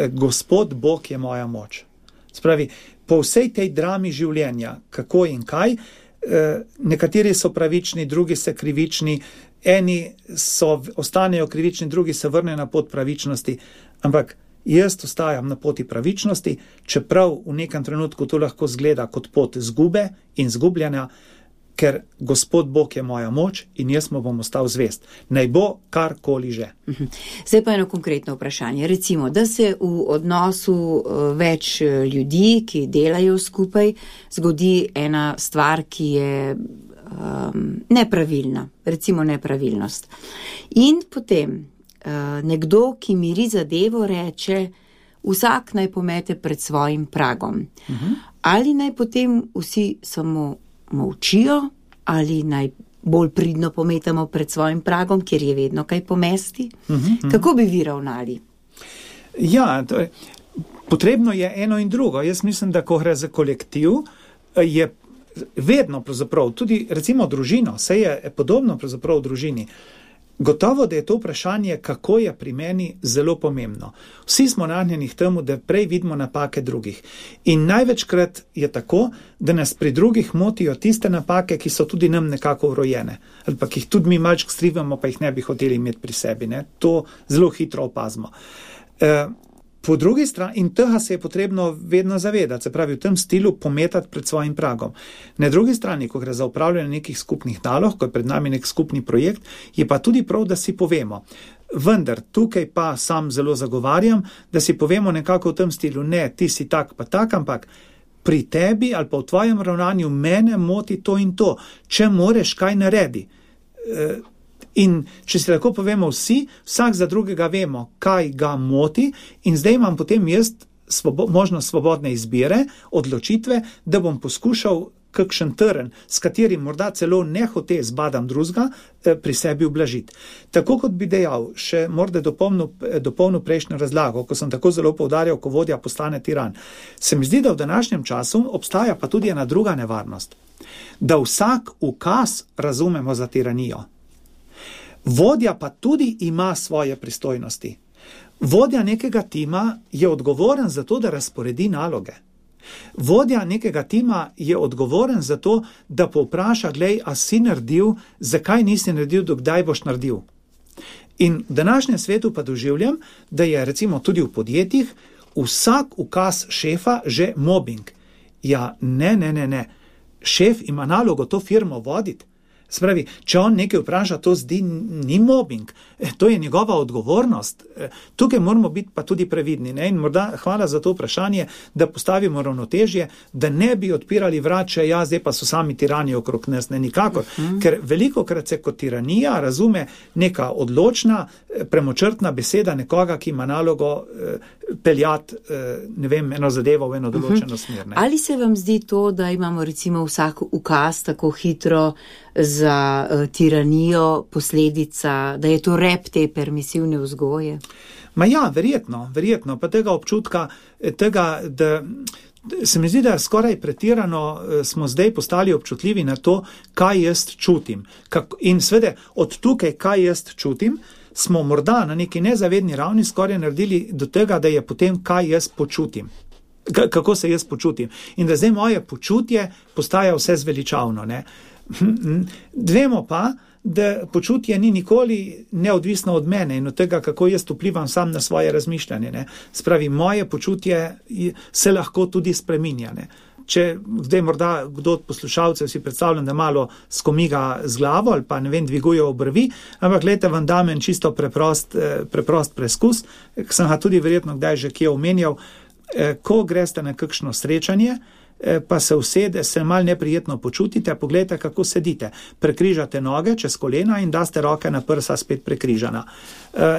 C: Gospod Bog je moja moč. Spravi, po vsej tej drami življenja, kako in kaj, nekateri so pravični, drugi so krivični, eni so, ostanejo krivični, drugi se vrnejo na pot pravičnosti, ampak jaz ostajam na poti pravičnosti, čeprav v nekem trenutku to lahko zgleda kot pot zgube in zgubljanja, ker Gospod Bog je moja moč in jaz mu bom ostal zvest. Naj bo karkoli že.
B: Zdaj pa eno konkretno vprašanje. Recimo, da se v odnosu več ljudi, ki delajo skupaj, zgodi ena stvar, ki je um, nepravilna, recimo nepravilnost. In potem nekdo, ki miri zadevo, reče, vsak naj pomete pred svojim pragom. Uh-huh. Ali naj potem vsi samo molčijo, ali naj bolj pridno pometamo pred svojim pragom, kjer je vedno kaj pomesti? Uh-huh. Kako bi vi ravnali?
C: Ja, to je, potrebno je eno in drugo. Jaz mislim, da ko gre za kolektiv, je vedno pravzaprav, tudi recimo družino, vse je podobno pravzaprav v družini. Gotovo, da je to vprašanje, kako je pri meni, zelo pomembno. Vsi smo nagnjeni k temu, da prej vidimo napake drugih. In največkrat je tako, da nas pri drugih motijo tiste napake, ki so tudi nam nekako vrojene. Ali pa ki jih tudi mi malček skrivamo, pa jih ne bi hoteli imeti pri sebi. Ne? To zelo hitro opazimo. E, po drugi strani, in tega se je potrebno vedno zavedati, se pravi v tem stilu pometati pred svojim pragom. Na drugi strani, ko gre za upravljanje nekih skupnih nalog, ko je pred nami nek skupni projekt, je pa tudi prav, da si povemo. Vendar tukaj pa sam zelo zagovarjam, da si povemo nekako v tem stilu, ne, ti si tak pa tak, ampak pri tebi ali pa v tvojem ravnanju mene moti to in to, če moreš kaj naredi. E, In če si lahko povemo vsi, vsak za drugega vemo, kaj ga moti, in zdaj imam potem jaz svobo, možnost svobodne izbire, odločitve, da bom poskušal kakšen trn, s katerim morda celo nehote zbadam drugega, pri sebi ublažiti. Tako kot bi dejal, še morda dopolnil prejšnjo razlago, ko sem tako zelo poudarjal, ko vodja postane tiran. Se mi zdi, da v današnjem času obstaja pa tudi ena druga nevarnost, da vsak ukaz razumemo za tiranijo. Vodja pa tudi ima svoje pristojnosti. Vodja nekega tima je odgovoren za to, da razporedi naloge. Vodja nekega tima je odgovoren za to, da povpraša, glej, a si naredil, zakaj nisi naredil, dokdaj boš naredil. In v današnjem svetu pa doživljam, da je recimo tudi v podjetjih vsak ukaz šefa že mobbing. Ja, ne, ne, ne, ne. Šef ima nalogo to firmo voditi. Spravi, če on nekaj vpraša, to zdi ni mobbing, to je njegova odgovornost. Tukaj moramo biti pa tudi previdni. Ne? In morda hvala za to vprašanje, da postavimo ravnotežje, da ne bi odpirali vrače, ja, zdaj pa so sami tirani okrog nas, ne nikakor. Uh-huh. Ker velikokrat se kot tiranija razume neka odločna, premočrtna beseda nekoga, ki ima nalogo eh, peljati, eh, ne vem, eno zadevo v eno določeno uh-huh. smer. Ne?
B: Ali se vam zdi to, da imamo recimo vsak ukaz tako hitro za uh, tiranijo posledica, da je to rep te permisivne vzgoje?
C: Ma ja, verjetno, verjetno, pa tega občutka, tega, da se mi zdi, da skoraj pretirano smo zdaj postali občutljivi na to, kaj jaz čutim. Kako, in svede, od tukaj, kaj jaz čutim, smo morda na neki nezavedni ravni skoraj naredili do tega, da je potem, kaj jaz počutim. K- kako se jaz počutim. In da zdaj moje počutje postaja vse zveličavno, ne. Vemo pa, da počutje ni nikoli neodvisno od mene in od tega, kako jaz vplivam sam na svoje razmišljanje. Ne. Spravi, moje počutje se lahko tudi spreminja. Ne. Če zdaj morda kdo od poslušalcev si predstavljam, da malo skomiga z glavo ali pa ne vem, dviguje obrvi, ampak gledajte, vam dam en čisto preprost, preprost preskus, ki sem ga tudi verjetno kdaj že kje omenjal. Ko greste na kakšno srečanje, pa se usede, se malo neprijetno počutite, pogledajte, kako sedite. Prekrižate noge čez kolena in daste roke na prsa spet prekrižana.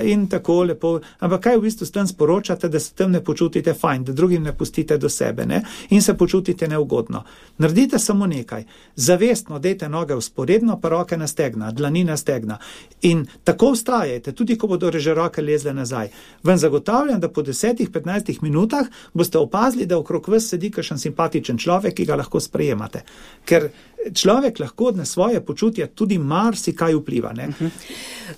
C: In tako lepo, ampak kaj v bistvu s tem sporočate, da se tem ne počutite fajn, da drugim ne pustite do sebe, ne? In se počutite neugodno. Naredite samo nekaj. Zavestno dejte noge vzporedno, pa roke na stegna, dlani na stegna. In tako vztrajajte, tudi ko bodo že roke lezle nazaj. Vam zagotavljam, da po desetih, petnajstih minutah boste opazili, da okrog vas sedi kakšen simpatičen človek, ki ga lahko sprejemate. Ker človek lahko na svoje počutje tudi marsikaj vpliva. Ne?
B: Uh-huh.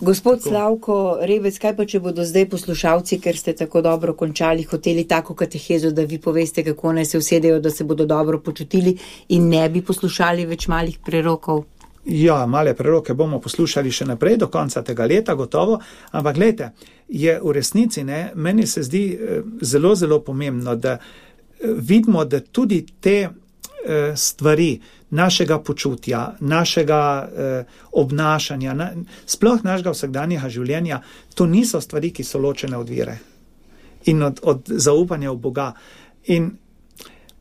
B: Gospod tako. Slavko Rebec, kaj pa če bodo zdaj poslušalci, ker ste tako dobro končali, hoteli tako katehezo, da vi poveste, kako naj se usedejo, da se bodo dobro počutili in ne bi poslušali več malih prerokov?
C: Ja, male preroke bomo poslušali še naprej do konca tega leta, gotovo, ampak gledajte, je v resnici, ne, meni se zdi zelo, zelo pomembno, da vidimo, da tudi te stvari našega počutja, našega eh, obnašanja, na, sploh našega vsakdanjega življenja, to niso stvari, ki so ločene od vere in od, od zaupanja v Boga. In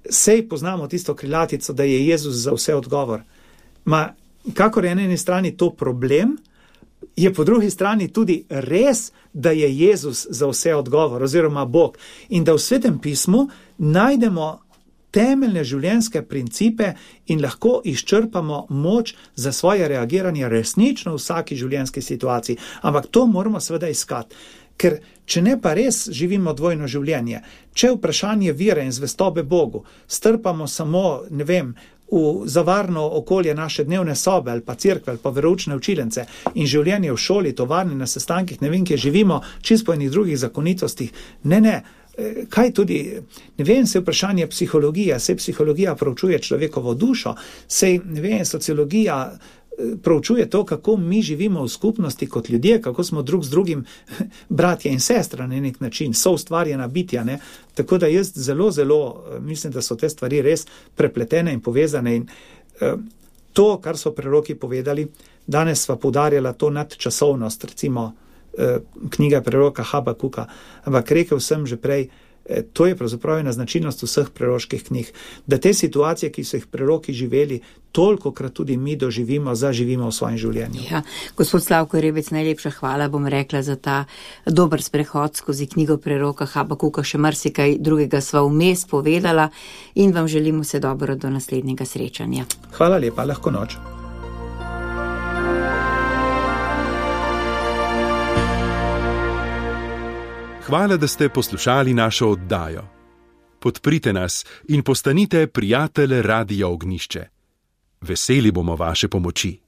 C: sej poznamo tisto krilatico, da je Jezus za vse odgovor. Ma, kakor je na eni strani to problem, je po drugi strani tudi res, da je Jezus za vse odgovor oziroma Bog in da v Svetem pismu najdemo temeljne življenjske principe in lahko izčrpamo moč za svoje reagiranje resnično v vsaki življenjski situaciji. Ampak to moramo seveda iskati, ker če ne pa res živimo dvojno življenje, če vprašanje vere in zvestobe Bogu strpamo samo, ne vem, v zavarno okolje naše dnevne sobe ali pa cerkve ali pa veroučne učilence in življenje v šoli, tovarni, na sestankih, ne vem, kje živimo, čisto po enih drugih zakonitostih. Ne, ne, kaj tudi, ne vem, se vprašanje psihologija, se psihologija proučuje človekovo dušo, se, ne vem, sociologija proučuje to, kako mi živimo v skupnosti kot ljudje, kako smo drug z drugim bratje in sestra na nek način, so ustvarjena bitja, ne? Tako da jaz zelo, zelo mislim, da so te stvari res prepletene in povezane in eh, to, kar so preroki povedali, danes sva poudarjala to nadčasovnost, recimo eh, knjiga preroka Habakuka, ampak rekel sem že prej, to je pravzaprav ena značilnost vseh preroških knjig, da te situacije, ki so jih preroki živeli, tolikokrat tudi mi doživimo, zaživimo v svojem življenju.
B: Ja, gospod Slavko Rebec, najlepša hvala, bom rekla, za ta dober sprehod skozi knjigo preroka Habakuka, še marsikaj drugega sva vmes povedala in vam želim vse dobro do naslednjega srečanja.
C: Hvala lepa, lahko noč.
D: Hvala, da ste poslušali našo oddajo. Podprite nas in postanite prijatelj Radia Ognjišče. Veseli bomo vaše pomoči.